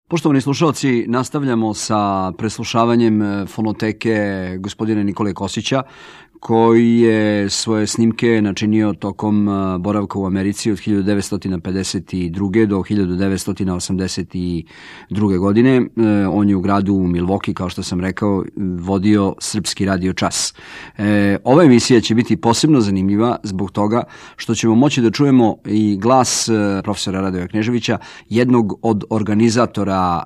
Poštovani slušalci, nastavljamo sa preslušavanjem fonoteke gospodina Nikole Kosića, koji je svoje snimke načinio tokom boravka u Americi od 1952. do 1982. godine. On je u gradu Milwaukee, kao što sam rekao, vodio Srpski radio čas. Ova emisija će biti posebno zanimljiva zbog toga što ćemo moći da čujemo i glas profesora Radoja Kneževića, jednog od organizatora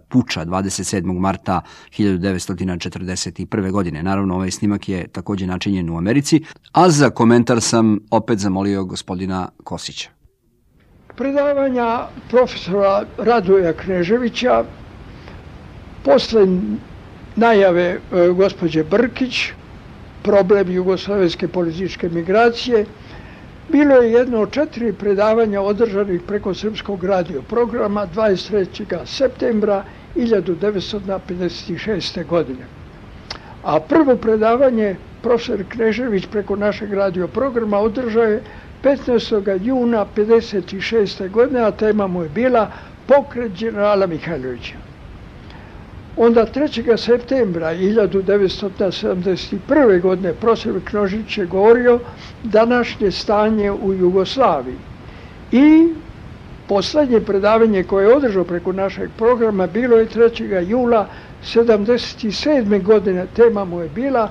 puča 27. marta 1941. godine. Naravno, ovaj snimak je takođe načinjen u Americi, a za komentar sam opet zamolio gospodina Kosića. Predavanja profesora Radoja Kneževića posle najave gospođe Brkić, problem jugoslovenske političke migracije, bilo je jedno od 4 predavanja održanih preko Srpskog radio programa 23. septembra 1956. godine. A prvo predavanje profesor Knežević preko našeg radio programa održao je 15. juna 1956. godine, a tema mu je bila Pokret generala Mihajlovića. Onda 3. septembra 1971. godine profesor Knežević je govorio današnje stanje u Jugoslaviji. I poslednje predavanje koje je održao preko našeg programa bilo je 3. jula 1977. godine. Tema mu je bila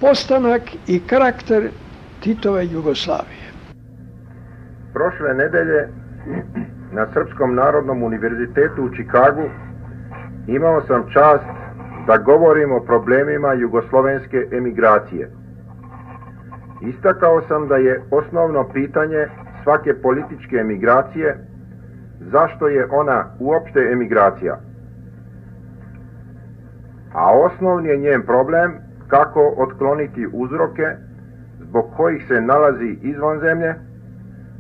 postanak i karakter Titove Jugoslavije. Prošle nedelje na Srpskom narodnom univerzitetu u Čikagu imao sam čast da govorim o problemima jugoslovenske emigracije. Istakao sam da je osnovno pitanje svake političke emigracije zašto je ona uopšte emigracija. A osnovni je njen problem kako otkloniti uzroke zbog kojih se nalazi izvan zemlje,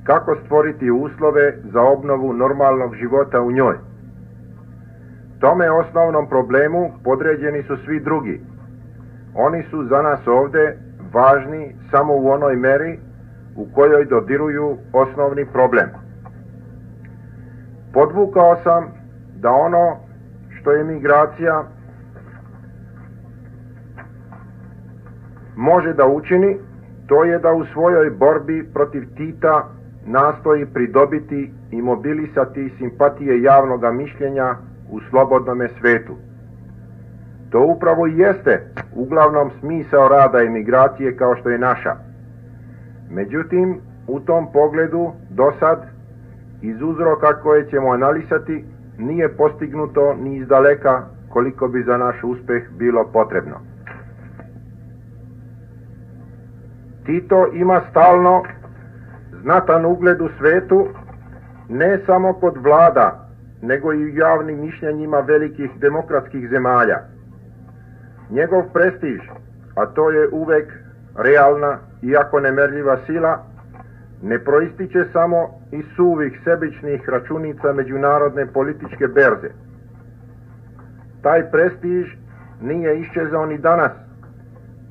kako stvoriti uslove za obnovu normalnog života u njoj. Tome osnovnom problemu podređeni su svi drugi. Oni su za nas ovde važni samo u onoj meri u kojoj dodiruju osnovni problem. Podvukao sam da ono što je migracija može da učini, to je da u svojoj borbi protiv Tita nastoji pridobiti i mobilisati simpatije javnoga mišljenja u slobodnome svetu. To upravo i jeste uglavnom smisao rada emigracije kao što je naša. Međutim, u tom pogledu do sad, iz uzroka koje ćemo analizati, nije postignuto ni izdaleka koliko bi za naš uspeh bilo potrebno. Tito ima stalno znatan ugled u svetu, ne samo kod vlada, nego i u javnim mišljenjima velikih demokratskih zemalja. Njegov prestiž, a to je uvek realna, iako nemerljiva sila, ne proističe samo iz suvih sebičnih računica međunarodne političke berze. Taj prestiž nije iščezao ni danas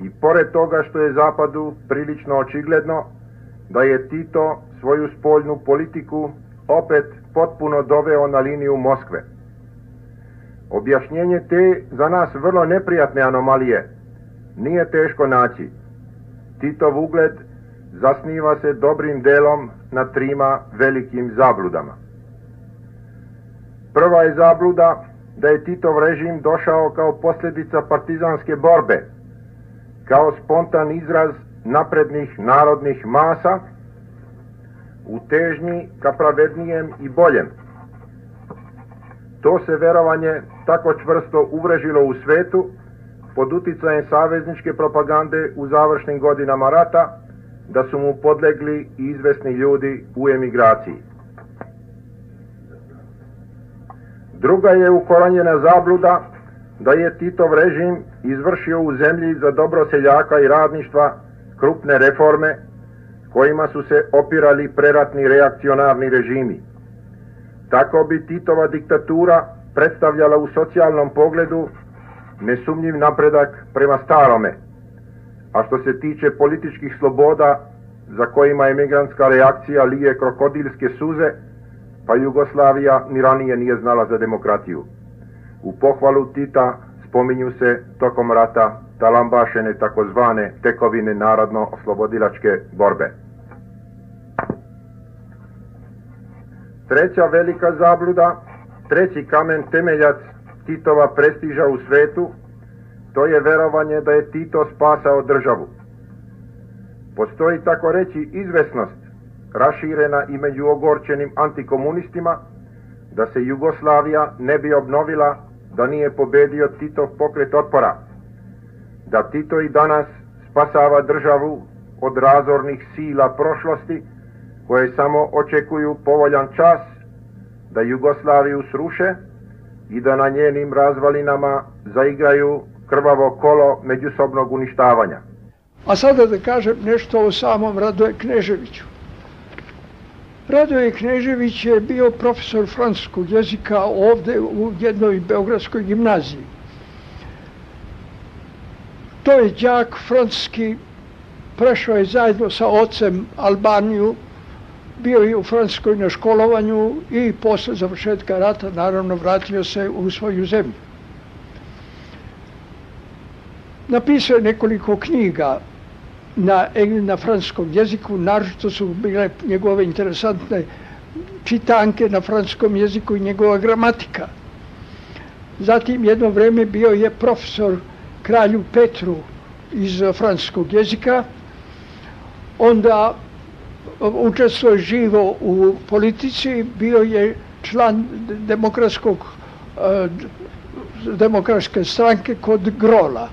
i pored toga što je Zapadu prilično očigledno da je Tito svoju spoljnu politiku opet potpuno doveo na liniju Moskve. Objašnjenje te za nas vrlo neprijatne anomalije nije teško naći. Titov ugled zasniva se dobrim delom na 3 velikim zabludama. Prva je zabluda da je Titov režim došao kao posljedica partizanske borbe, kao spontan izraz naprednih narodnih masa u težnji ka pravednijem i boljem. To se verovanje tako čvrsto uvrežilo u svetu pod uticajem savezničke propagande u završnim godinama rata da su mu podlegli i izvesni ljudi u emigraciji. Druga je ukoranjena zabluda da je Titov režim izvršio u zemlji za dobro seljaka i radništva krupne reforme kojima su se opirali preratni reakcionarni režimi. Tako bi Titova diktatura predstavljala u socijalnom pogledu nesumnjiv napredak prema starome, a što se tiče političkih sloboda za kojima emigrantska reakcija lije krokodilske suze, pa Jugoslavija ni ranije nije znala za demokratiju. U pohvalu Tita spominju se tokom rata talambašene takozvane tekovine narodno-oslobodilačke borbe. Treća velika zabluda, treći kamen temeljac Titova prestiža u svetu, to je verovanje da je Tito spasao državu. Postoji tako reći izvesnost, raširena i među ogorčenim antikomunistima, da se Jugoslavija ne bi obnovila da nije pobedio Titov pokret otpora, da Tito i danas spasava državu od razornih sila prošlosti koje samo očekuju povoljan čas da Jugoslaviju sruše i da na njenim razvalinama zaigraju krvavo kolo međusobnog uništavanja. A sada da kažem nešto o samom Radoje Kneževiću. Radoje Knežević je bio profesor francuskog jezika ovde u jednoj beogradskoj gimnaziji. To je đak francuski, prešao je zajedno sa ocem Albaniju, bio je u Francuskoj na školovanju i posle završetka rata naravno vratio se u svoju zemlju. Napisao je nekoliko knjiga na francuskom jeziku, naročito su bile njegove interesantne čitanke na francuskom jeziku i njegova gramatika. Zatim jedno vreme bio je profesor kralju Petru iz francuskog jezika, onda učestvuje živo u politici, bio je član demokratske stranke kod Grola.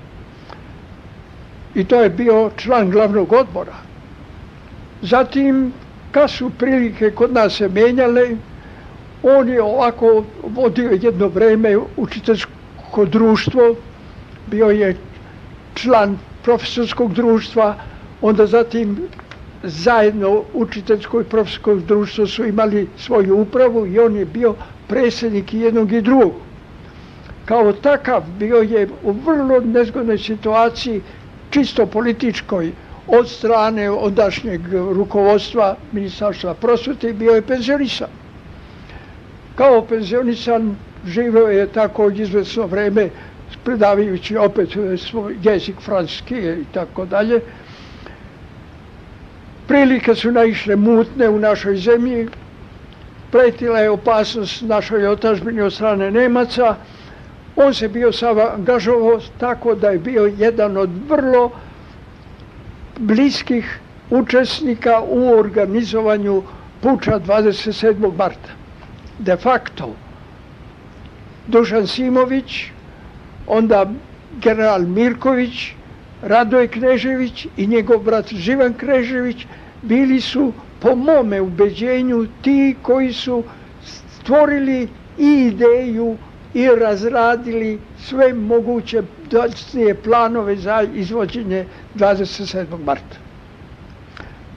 I to je bio član glavnog odbora. Zatim, kad su prilike kod nas se menjale, on je ovako vodio jedno vreme učiteljsko društvo, bio je član profesorskog društva, onda zatim zajedno učiteljsko i profesorsko društvo su imali svoju upravu i on je bio predsjednik jednog i drugog. Kao takav bio je u vrlo nezgodnoj situaciji, čisto političkoj, od strane ondašnjeg rukovodstva Ministarstva prosvete i bio je penzionisan. Kao penzionisan živeo je tako izvesno vreme, predavajući opet svoj jezik francuski i tako dalje. Prilike su naišle mutne u našoj zemlji, pretila je opasnost našoj otadžbini od strane Nemaca. On se bio sam angažovao tako da je bio jedan od vrlo bliskih učesnika u organizovanju puča 27. marta. De facto, Dušan Simović, onda general Mirković, Radoje Knežević i njegov brat Živan Knežević bili su, po mome ubeđenju, ti koji su stvorili i ideju i razradili sve moguće dodatnije planove za izvođenje 27. marta.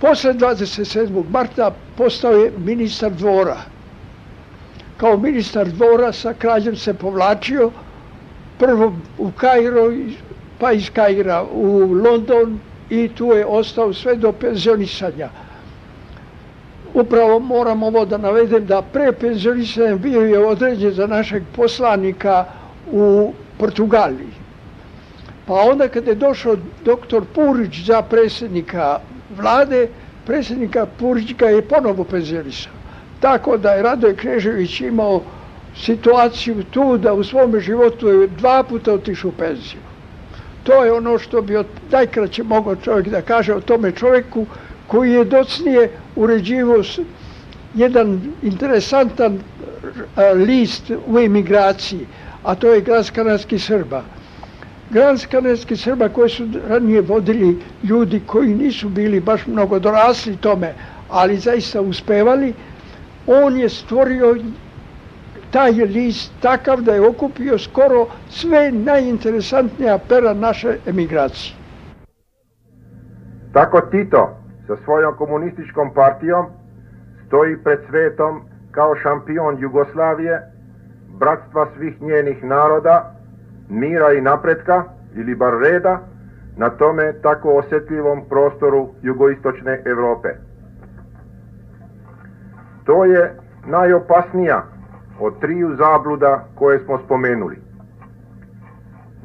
Posle 27. marta postao je ministar dvora. Kao ministar dvora sa kraljem se povlačio, prvo u Kairo, pa iz Kaira u London i tu je ostao sve do penzionisanja. Upravo moram ovo da navedem da pre penzionisanja bio je određen za našeg poslanika u Portugaliji. Pa onda kada je došao doktor Purić za predsjednika vlade, predsjednika Purić ga je ponovo penzionisao. Tako da je Radoje Knežević imao situaciju tu da u svome životu je 2 puta otišao u penziju. To je ono što bi najkraće mogao čovjek da kaže o tome čovjeku koji je docnije uređivao jedan interesantan list u emigraciji, a to je Glas kanadskih Srba. Glas kanadskih Srba koje su ranije vodili ljudi koji nisu bili baš mnogo dorasli tome, ali zaista uspevali. On je stvorio taj list takav da je okupio skoro sve najinteresantnija pera naše emigracije. Tako Tito sa svojom komunističkom partijom stoji pred svetom kao šampion Jugoslavije, bratstva svih njenih naroda, mira i napretka, ili bar reda, na tome tako osjetljivom prostoru jugoistočne Evrope. To je najopasnija od triju zabluda koje smo spomenuli.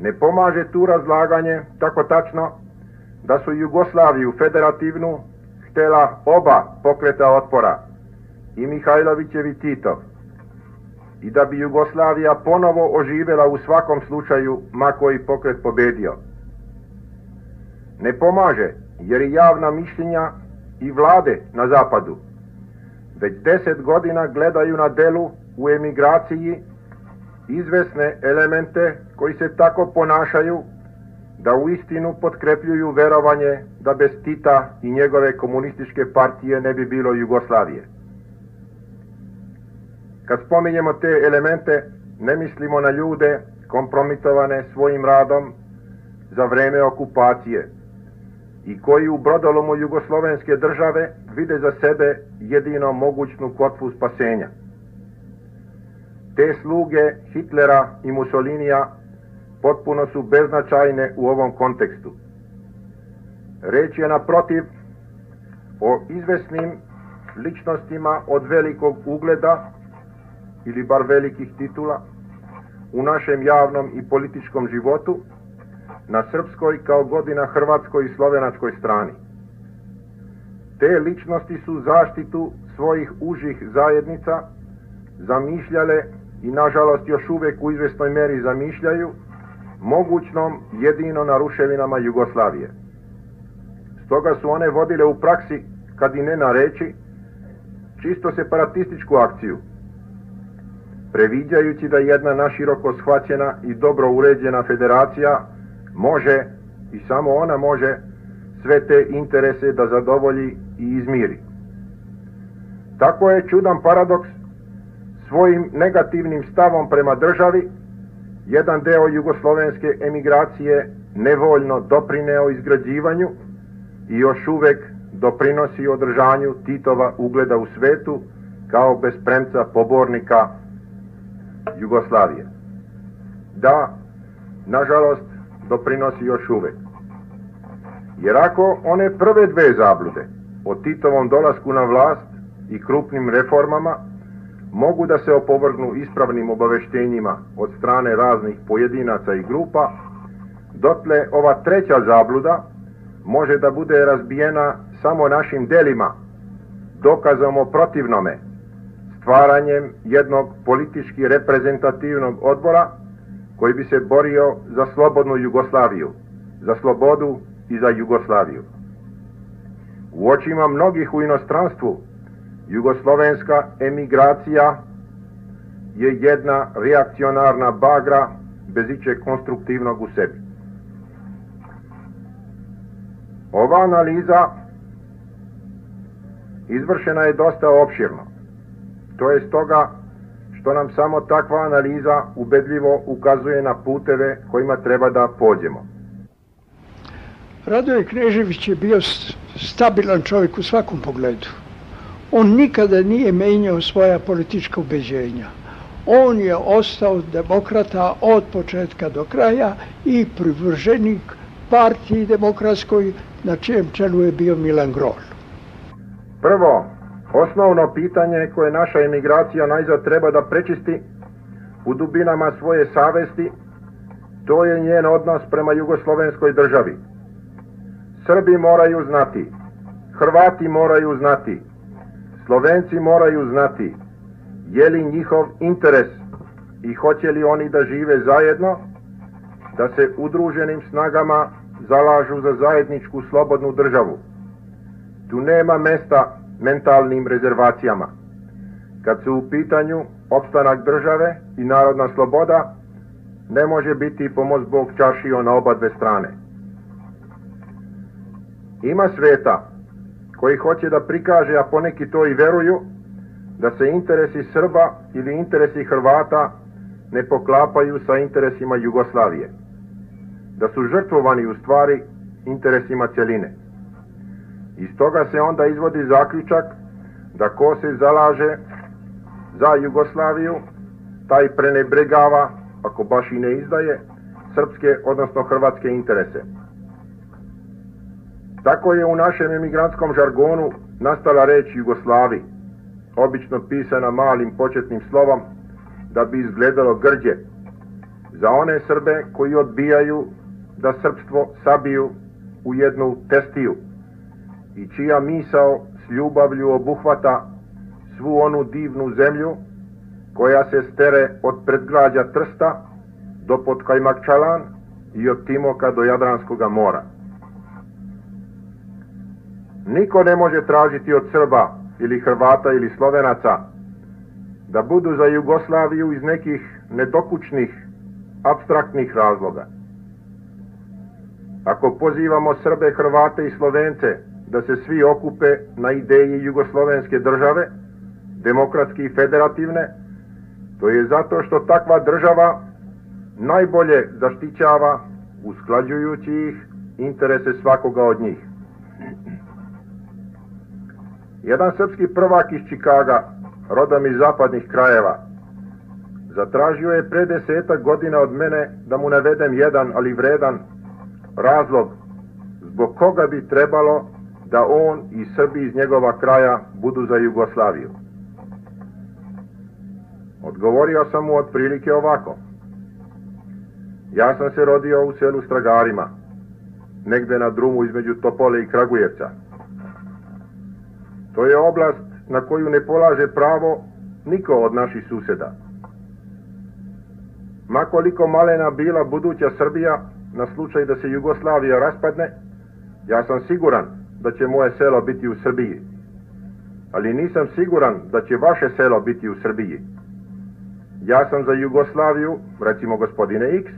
Ne pomaže tu razlaganje tako tačno da su Jugoslaviju federativnu htjela oba pokreta otpora, i Mihajlovićev i Titov, i da bi Jugoslavija ponovo oživjela u svakom slučaju ma koji pokret pobedio. Ne pomaže jer i javna mišljenja i vlade na zapadu već 10 godina gledaju na delu u emigraciji izvesne elemente koji se tako ponašaju da uistinu potkrepljuju verovanje da bez Tita i njegove komunističke partije ne bi bilo Jugoslavije. Kad spominjemo te elemente, ne mislimo na ljude kompromitovane svojim radom za vreme okupacije i koji u brodolomu jugoslovenske države vide za sebe jedino mogućnu kotvu spasenja. Te sluge Hitlera i Mussolinija potpuno su beznačajne u ovom kontekstu. Reč je naprotiv o izvesnim ličnostima od velikog ugleda ili bar velikih titula u našem javnom i političkom životu na srpskoj kao god i na hrvatskoj i slovenačkoj strani. Te ličnosti su zaštitu svojih užih zajednica zamišljale i nažalost još uvijek u izvesnoj meri zamišljaju mogućnom jedino na ruševinama Jugoslavije. Stoga su one vodile u praksi, kad i ne na reči, čisto separatističku akciju, previđajući da jedna naširoko shvaćena i dobro uređena federacija može, i samo ona može, sve te interese da zadovolji i izmiri. Tako je čudan paradoks svojim negativnim stavom prema državi jedan deo jugoslovenske emigracije nevoljno doprineo izgrađivanju i još uvek doprinosi održanju Titova ugleda u svetu kao bespremca pobornika Jugoslavije. Da, nažalost, doprinosi još uvek. Jer ako one prve dve zablude o Titovom dolasku na vlast i krupnim reformama mogu da se opovrgnu ispravnim obaveštenjima od strane raznih pojedinaca i grupa, dotle ova treća zabluda može da bude razbijena samo našim delima, dokazom o protivnome, stvaranjem jednog politički reprezentativnog odbora koji bi se borio za slobodnu Jugoslaviju, za slobodu i za Jugoslaviju. U očima mnogih u inostranstvu jugoslovenska emigracija je jedna reakcionarna bagra bez ičeg konstruktivnog u sebi. Ova analiza izvršena je dosta opširno. To je stoga što nam samo takva analiza ubedljivo ukazuje na puteve kojima treba da pođemo. Radoje Knežević je bio stabilan čovjek u svakom pogledu. On nikada nije menjao svoja politička ubeđenja. On je ostao demokrata od početka do kraja i privrženik partiji demokratskoj na čijem čelu je bio Milan Grol. Prvo, osnovno pitanje koje naša emigracija najzad treba da prečisti u dubinama svoje savesti, to je njen odnos prema jugoslovenskoj državi. Srbi moraju znati, Hrvati moraju znati, Slovenci moraju znati je li njihov interes i hoće li oni da žive zajedno, da se udruženim snagama zalažu za zajedničku slobodnu državu. Tu nema mesta mentalnim rezervacijama. Kad su u pitanju opstanak države i narodna sloboda, ne može biti pomoć Bog čaršio na oba dve strane. Ima sveta koji hoće da prikaže, a poneki to i veruju, da se interesi Srba ili interesi Hrvata ne poklapaju sa interesima Jugoslavije, da su žrtvovani u stvari interesima cjeline. Iz toga se onda izvodi zaključak da ko se zalaže za Jugoslaviju, taj prenebregava, ako baš i ne izdaje, srpske, odnosno hrvatske interese. Tako je u našem emigrantskom žargonu nastala reč Jugoslavi, obično pisana malim početnim slovom, da bi izgledalo grđe. Za one Srbe koji odbijaju da srpstvo sabiju u jednu testiju i čija misao s ljubavlju obuhvata svu onu divnu zemlju koja se stere od predgrađa Trsta do Podkajmakčalan i od Timoka do Jadranskoga mora. Niko ne može tražiti od Srba ili Hrvata ili Slovenaca da budu za Jugoslaviju iz nekih nedokučnih, apstraktnih razloga. Ako pozivamo Srbe, Hrvate i Slovence da se svi okupe na ideji jugoslovenske države, demokratske i federativne, to je zato što takva država najbolje zaštićava, usklađujući ih, interese svakoga od njih. Jedan srpski prvak iz Čikaga, rodom iz zapadnih krajeva, zatražio je pre 10 godina od mene da mu navedem jedan, ali vredan, razlog zbog koga bi trebalo da on i Srbi iz njegova kraja budu za Jugoslaviju. Odgovorio sam mu otprilike ovako. Ja sam se rodio u selu Stragarima, negde na drumu između Topole i Kragujevca. To je oblast na koju ne polaže pravo niko od naših suseda. Makoliko malena bila buduća Srbija, na slučaj da se Jugoslavija raspadne, ja sam siguran da će moje selo biti u Srbiji. Ali nisam siguran da će vaše selo biti u Srbiji. Ja sam za Jugoslaviju, recimo gospodine X,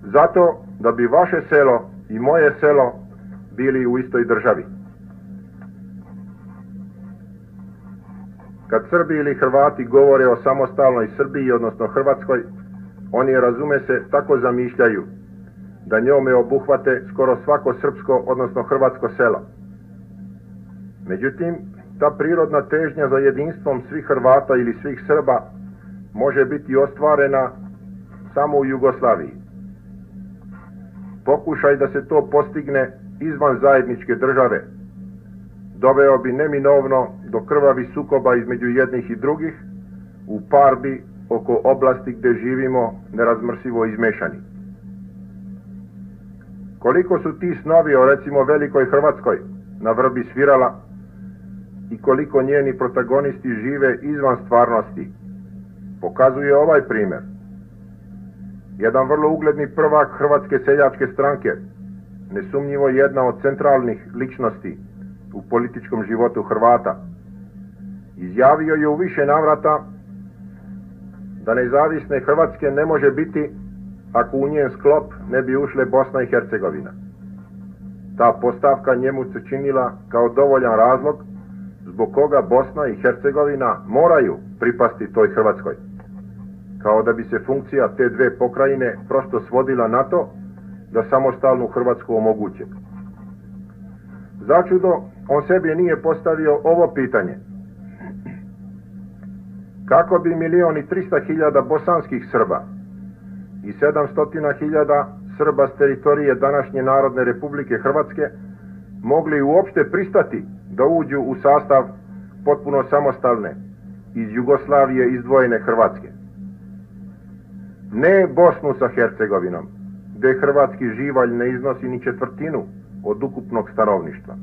zato da bi vaše selo i moje selo bili u istoj državi. Kad Srbi ili Hrvati govore o samostalnoj Srbiji, odnosno Hrvatskoj, oni, razume se, tako zamišljaju da njome obuhvate skoro svako srpsko, odnosno hrvatsko selo. Međutim, ta prirodna težnja za jedinstvom svih Hrvata ili svih Srba može biti ostvarena samo u Jugoslaviji. Pokušaj da se to postigne izvan zajedničke države doveo bi neminovno do krvavih sukoba između jednih i drugih u parbi oko oblasti gde živimo nerazmrsivo izmešani. Koliko su ti snovi o, recimo, velikoj Hrvatskoj na vrbi svirala i koliko njeni protagonisti žive izvan stvarnosti, pokazuje ovaj primer. Jedan vrlo ugledni prvak Hrvatske seljačke stranke, nesumnjivo jedna od centralnih ličnosti u političkom životu Hrvata, izjavio je u više navrata da nezavisne Hrvatske ne može biti ako u njen sklop ne bi ušle Bosna i Hercegovina. Ta postavka njemu se činila kao dovoljan razlog zbog koga Bosna i Hercegovina moraju pripasti toj Hrvatskoj, kao da bi se funkcija te dve pokrajine prosto svodila na to da samostalnu Hrvatsku omoguće. Začudo, on sebi nije postavio ovo pitanje. Kako bi 1.300.000 bosanskih Srba i 700.000 Srba s teritorije današnje Narodne Republike Hrvatske mogli uopšte pristati da uđu u sastav potpuno samostalne, iz Jugoslavije izdvojene Hrvatske? Ne Bosnu sa Hercegovinom, gde hrvatski živalj ne iznosi ni četvrtinu od ukupnog stanovništva,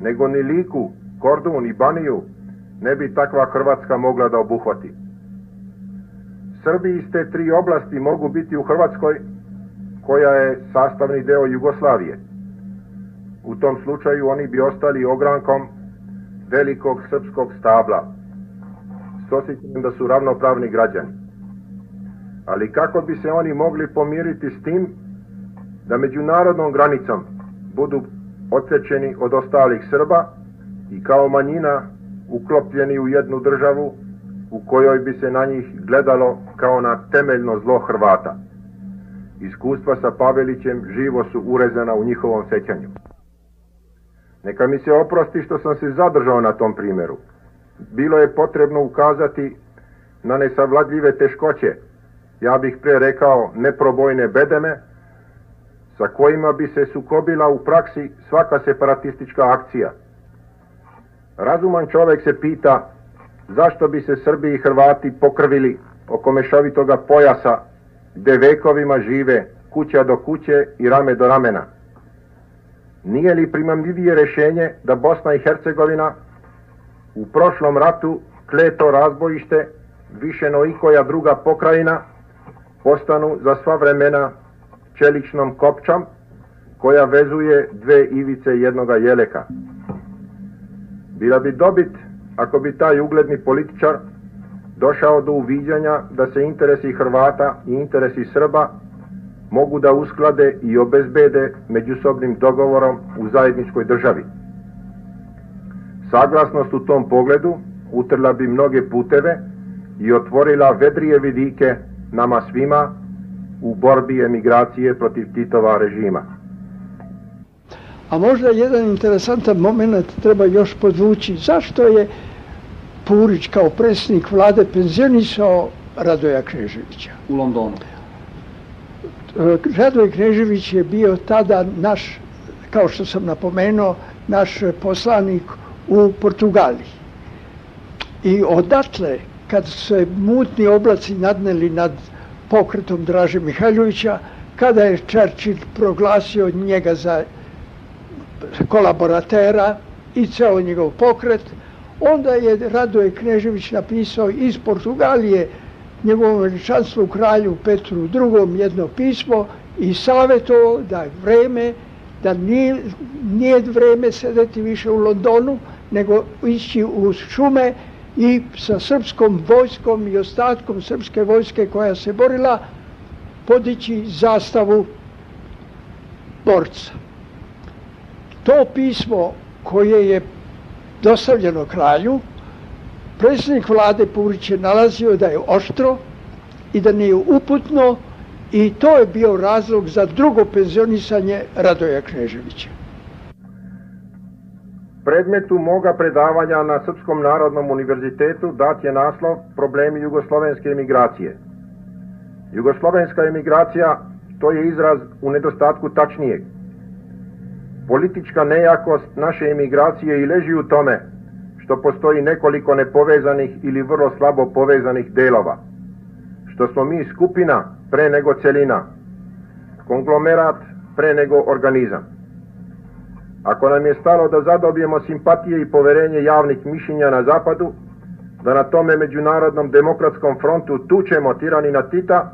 nego ni Liku, Kordun i Baniju ne bi takva Hrvatska mogla da obuhvati. Srbi iz te tri oblasti mogu biti u Hrvatskoj, koja je sastavni deo Jugoslavije. U tom slučaju oni bi ostali ogrankom velikog srpskog stabla, s osjećanjem da su ravnopravni građani. Ali kako bi se oni mogli pomiriti s tim da međunarodnom granicom budu odsečeni od ostalih Srba i kao manjina uklopljeni u jednu državu u kojoj bi se na njih gledalo kao na temeljno zlo Hrvata? Iskustva sa Pavelićem živo su urezana u njihovom sećanju. Neka mi se oprosti što sam se zadržao na tom primjeru. Bilo je potrebno ukazati na nesavladljive teškoće, ja bih pre rekao neprobojne bedeme, sa kojima bi se sukobila u praksi svaka separatistička akcija. Razuman čovjek se pita zašto bi se Srbi i Hrvati pokrvili oko mešovitoga pojasa gde vekovima žive kuća do kuće i rame do ramena? Nije li primamljivije rješenje da Bosna i Hercegovina u prošlom ratu kleto razbojište više no ikoja druga pokrajina postanu za sva vremena čeličnom kopčom koja vezuje dve ivice jednoga jeleka? Bila bi dobit ako bi taj ugledni političar došao do uviđanja da se interesi Hrvata i interesi Srba mogu da usklade i obezbede međusobnim dogovorom u zajedničkoj državi. Saglasnost u tom pogledu utrla bi mnoge puteve i otvorila vedrije vidike nama svima u borbi emigracije protiv Titova režima. A možda jedan interesantan moment treba još podvući. Zašto je Purić kao predsjednik vlade penzionisao Radoja Kneževića? U Londonu. Radoj Knežević je bio tada naš, kao što sam napomenuo, naš poslanik u Portugaliji. I odatle, kad se mutni oblaci nadneli nad pokretom Draže Mihajlovića, kada je Churchill proglasio njega za kolaboratera i ceo njegov pokret, onda je Radoje Knežević napisao iz Portugalije njegovom veličanstvu kralju Petru II jedno pismo i savjetovao da je vreme, da nije vreme sedeti više u Londonu, nego ići u šume i sa srpskom vojskom i ostatkom srpske vojske koja se borila podići zastavu borca. To pismo koje je dostavljeno kralju, predsjednik vlade Purić je nalazio da je oštro i da nije uputno i to je bio razlog za drugo penzionisanje Radoja Kneževića. Predmetu moga predavanja na Srpskom narodnom univerzitetu dat je naslov Problemi jugoslovenske emigracije. Jugoslovenska emigracija, to je izraz u nedostatku tačnijeg. Politička nejakost naše emigracije i leži u tome što postoji nekoliko nepovezanih ili vrlo slabo povezanih delova, što smo mi skupina pre nego celina, konglomerat pre nego organizam. Ako nam je stalo da zadobijemo simpatije i poverenje javnih mišljenja na zapadu, da na tome međunarodnom demokratskom frontu tučemo tiranina Tita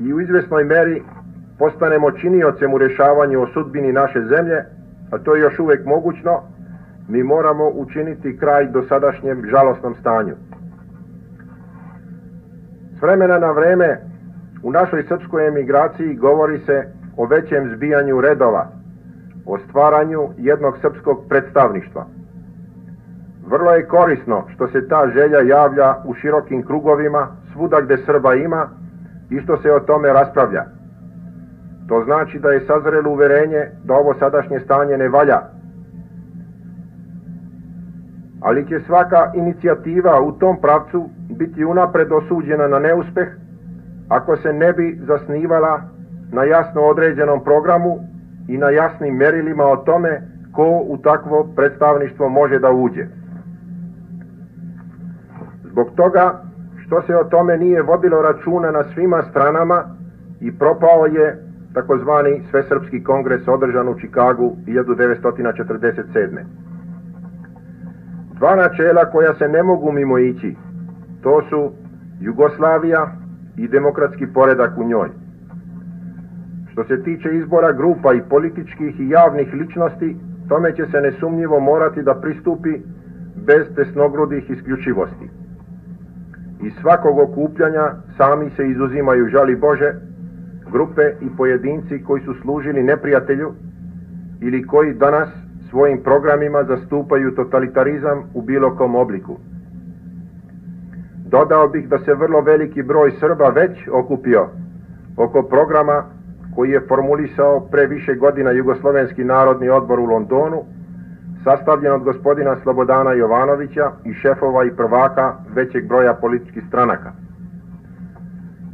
i u izvesnoj meri postanemo činiocem u rješavanju o sudbini naše zemlje, a to je još uvek mogućno, mi moramo učiniti kraj dosadašnjem žalosnom stanju. S vremena na vreme u našoj srpskoj emigraciji govori se o većem zbijanju redova, o stvaranju jednog srpskog predstavništva. Vrlo je korisno što se ta želja javlja u širokim krugovima, svuda gde Srba ima i što se o tome raspravlja. To znači da je sazrelo uverenje da ovo sadašnje stanje ne valja. Ali će svaka inicijativa u tom pravcu biti unapred osuđena na neuspeh ako se ne bi zasnivala na jasno određenom programu i na jasnim merilima o tome ko u takvo predstavništvo može da uđe. Zbog toga što se o tome nije vodilo računa na svima stranama i propao je takozvani Svesrpski kongres održan u Čikagu 1947. Dva načela koja se ne mogu mimo ići, to su Jugoslavija i demokratski poredak u njoj. Što se tiče izbora grupa i političkih i javnih ličnosti, tome će se nesumnjivo morati da pristupi bez tesnogrudih isključivosti. Iz svakog okupljanja sami se izuzimaju, žali Bože, grupe i pojedinci koji su služili neprijatelju ili koji danas svojim programima zastupaju totalitarizam u bilo kom obliku. Dodao bih da se vrlo veliki broj Srba već okupio oko programa koji je formulisao pre više godina Jugoslovenski narodni odbor u Londonu, sastavljen od gospodina Slobodana Jovanovića i šefova i prvaka većeg broja političkih stranaka.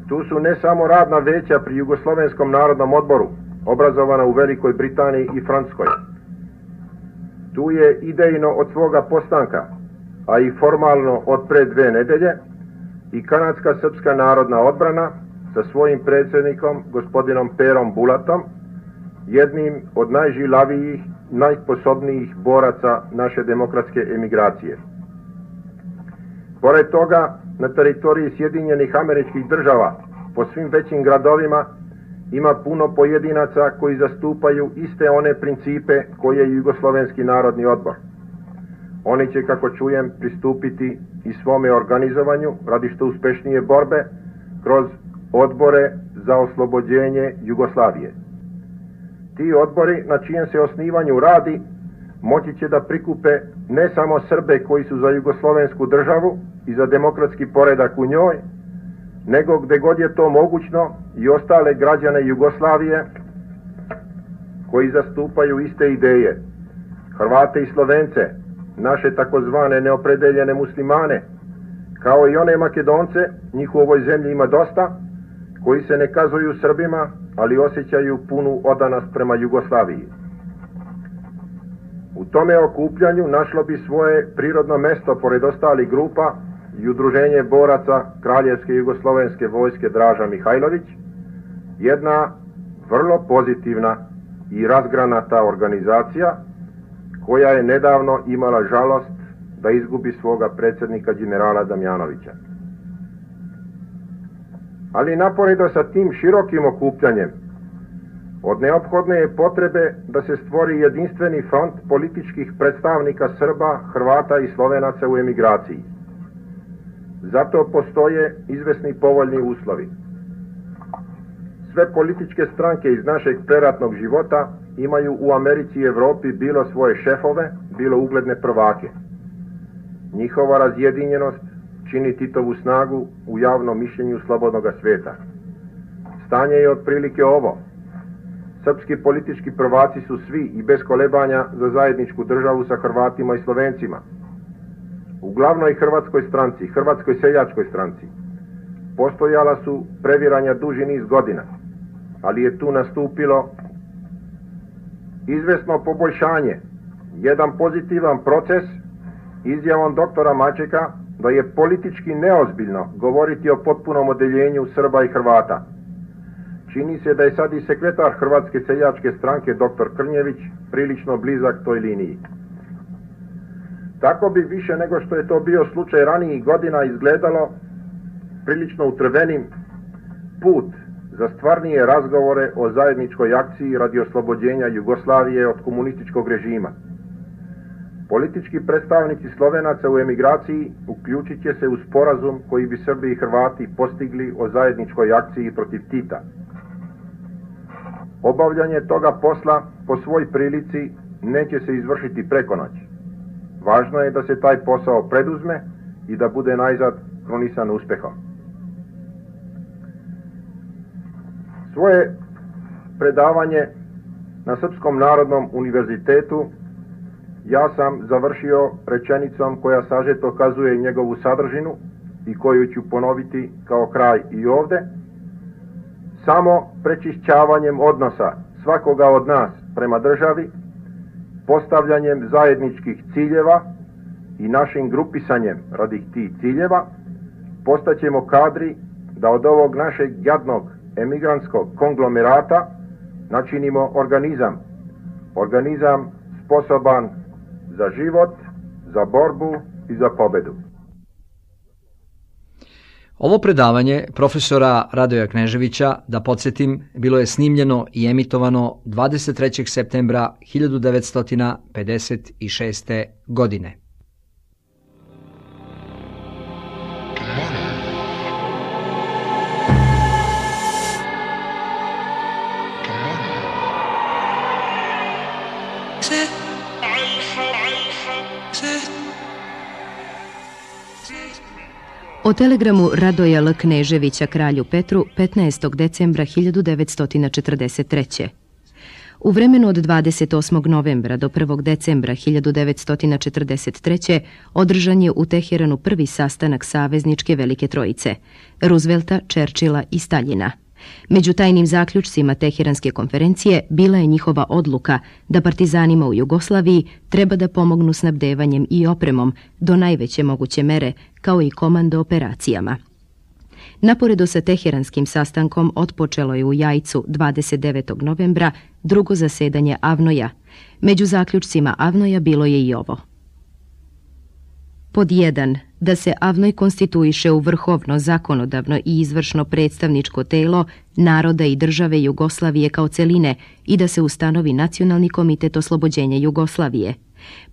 Tu su ne samo radna veća pri Jugoslovenskom narodnom odboru, obrazovana u Velikoj Britaniji i Francuskoj. Tu je idejno od svoga postanka a i formalno od pre 2 nedelje, i Kanadska srpska narodna odbrana sa svojim predsjednikom, gospodinom Perom Bulatom, jednim od najžilavijih, najsposobnijih boraca naše demokratske emigracije. Pored toga, na teritoriji Sjedinjenih Američkih Država, po svim većim gradovima, ima puno pojedinaca koji zastupaju iste one principe koje je Jugoslovenski narodni odbor. Oni će, kako čujem, pristupiti i svome organizovanju radi što uspešnije borbe kroz odbore za oslobođenje Jugoslavije. Ti odbori, na čijem se osnivanju radi, moći će da prikupe ne samo Srbe koji su za Jugoslovensku državu i za demokratski poredak u njoj, nego gde god je to mogućno i ostale građane Jugoslavije koji zastupaju iste ideje, Hrvate i Slovence, naše takozvane neopredeljene muslimane, kao i one Makedonce, njih u ovoj zemlji ima dosta, koji se ne kazuju Srbima, ali osjećaju punu odanost prema Jugoslaviji. U tome okupljanju našlo bi svoje prirodno mesto, pored ostalih grupa, i Udruženje boraca Kraljevske jugoslovenske vojske Draža Mihajlović, jedna vrlo pozitivna i razgranata organizacija koja je nedavno imala žalost da izgubi svoga predsjednika generala Damjanovića. Ali naporedo sa tim širokim okupljanjem, od neophodne je potrebe da se stvori jedinstveni front političkih predstavnika Srba, Hrvata i Slovenaca u emigraciji. Zato postoje izvesni povoljni uslovi. Sve političke stranke iz našeg preratnog života imaju u Americi i Evropi bilo svoje šefove, bilo ugledne prvake. Njihova razjedinjenost čini Titovu snagu u javnom mišljenju slobodnog sveta. Stanje je otprilike ovo. Srpski politički prvaci su svi i bez kolebanja za zajedničku državu sa Hrvatima i Slovencima. U glavnoj hrvatskoj stranci, Hrvatskoj seljačkoj stranci, postojala su previranja duži niz godina, ali je tu nastupilo izvesno poboljšanje, jedan pozitivan proces izjavom doktora Mačeka da je politički neozbiljno govoriti o potpunom odeljenju Srba i Hrvata. Čini se da je sad i sekretar Hrvatske seljačke stranke dr. Krnjević prilično blizak toj liniji. Tako bi više nego što je to bio slučaj ranijih godina izgledalo prilično utrvenim put za stvarnije razgovore o zajedničkoj akciji radi oslobođenja Jugoslavije od komunističkog režima. Politički predstavnici Slovenaca u emigraciji uključit će se u sporazum koji bi Srbi i Hrvati postigli o zajedničkoj akciji protiv Tita. Obavljanje toga posla po svoj prilici neće se izvršiti preko noći. Važno je da se taj posao preduzme i da bude najzad krunisan uspehom. Svoje predavanje na Srpskom narodnom univerzitetu ja sam završio rečenicom koja sažeto kazuje njegovu sadržinu i koju ću ponoviti kao kraj i ovde. Samo prečišćavanjem odnosa svakoga od nas prema državi, postavljanjem zajedničkih ciljeva i našim grupisanjem radi tih ciljeva, postaćemo kadri da od ovog našeg jadnog emigrantskog konglomerata načinimo organizam sposoban za život, za borbu i za pobedu. Ovo predavanje profesora Radoja Kneževića, da podsjetim, bilo je snimljeno i emitovano 23. septembra 1956. godine. O telegramu Radoja L. Kneževića kralju Petru 15. decembra 1943. U vremenu od 28. novembra do 1. decembra 1943. održan je u Teheranu prvi sastanak savezničke Velike Trojice, Roosevelta, Churchilla i Staljina. Među tajnim zaključcima Teheranske konferencije bila je njihova odluka da partizanima u Jugoslaviji treba da pomognu snabdevanjem i opremom do najveće moguće mere, kao i komando operacijama. Naporedo sa Teheranskim sastankom otpočelo je u Jajcu 29. novembra drugo zasedanje Avnoja. Među zaključcima Avnoja bilo je i ovo. Pod 1. Da se Avnoj konstituiše u vrhovno, zakonodavno i izvršno predstavničko telo naroda i države Jugoslavije kao celine i da se ustanovi Nacionalni komitet oslobođenja Jugoslavije.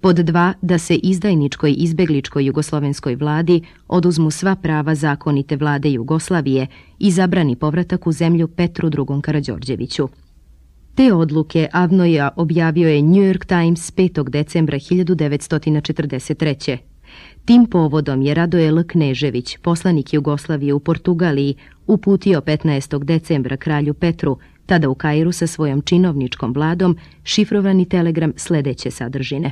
Pod 2. Da se izdajničkoj izbegličkoj jugoslovenskoj vladi oduzmu sva prava zakonite vlade Jugoslavije i zabrani povratak u zemlju Petru II. Karađorđeviću. Te odluke Avnoja objavio je New York Times 5. decembra 1943. Tim povodom je Radoje L. Knežević, poslanik Jugoslavije u Portugaliji, uputio 15. decembra kralju Petru, tada u Kairu sa svojom činovničkom vladom, šifrovani telegram sledeće sadržine.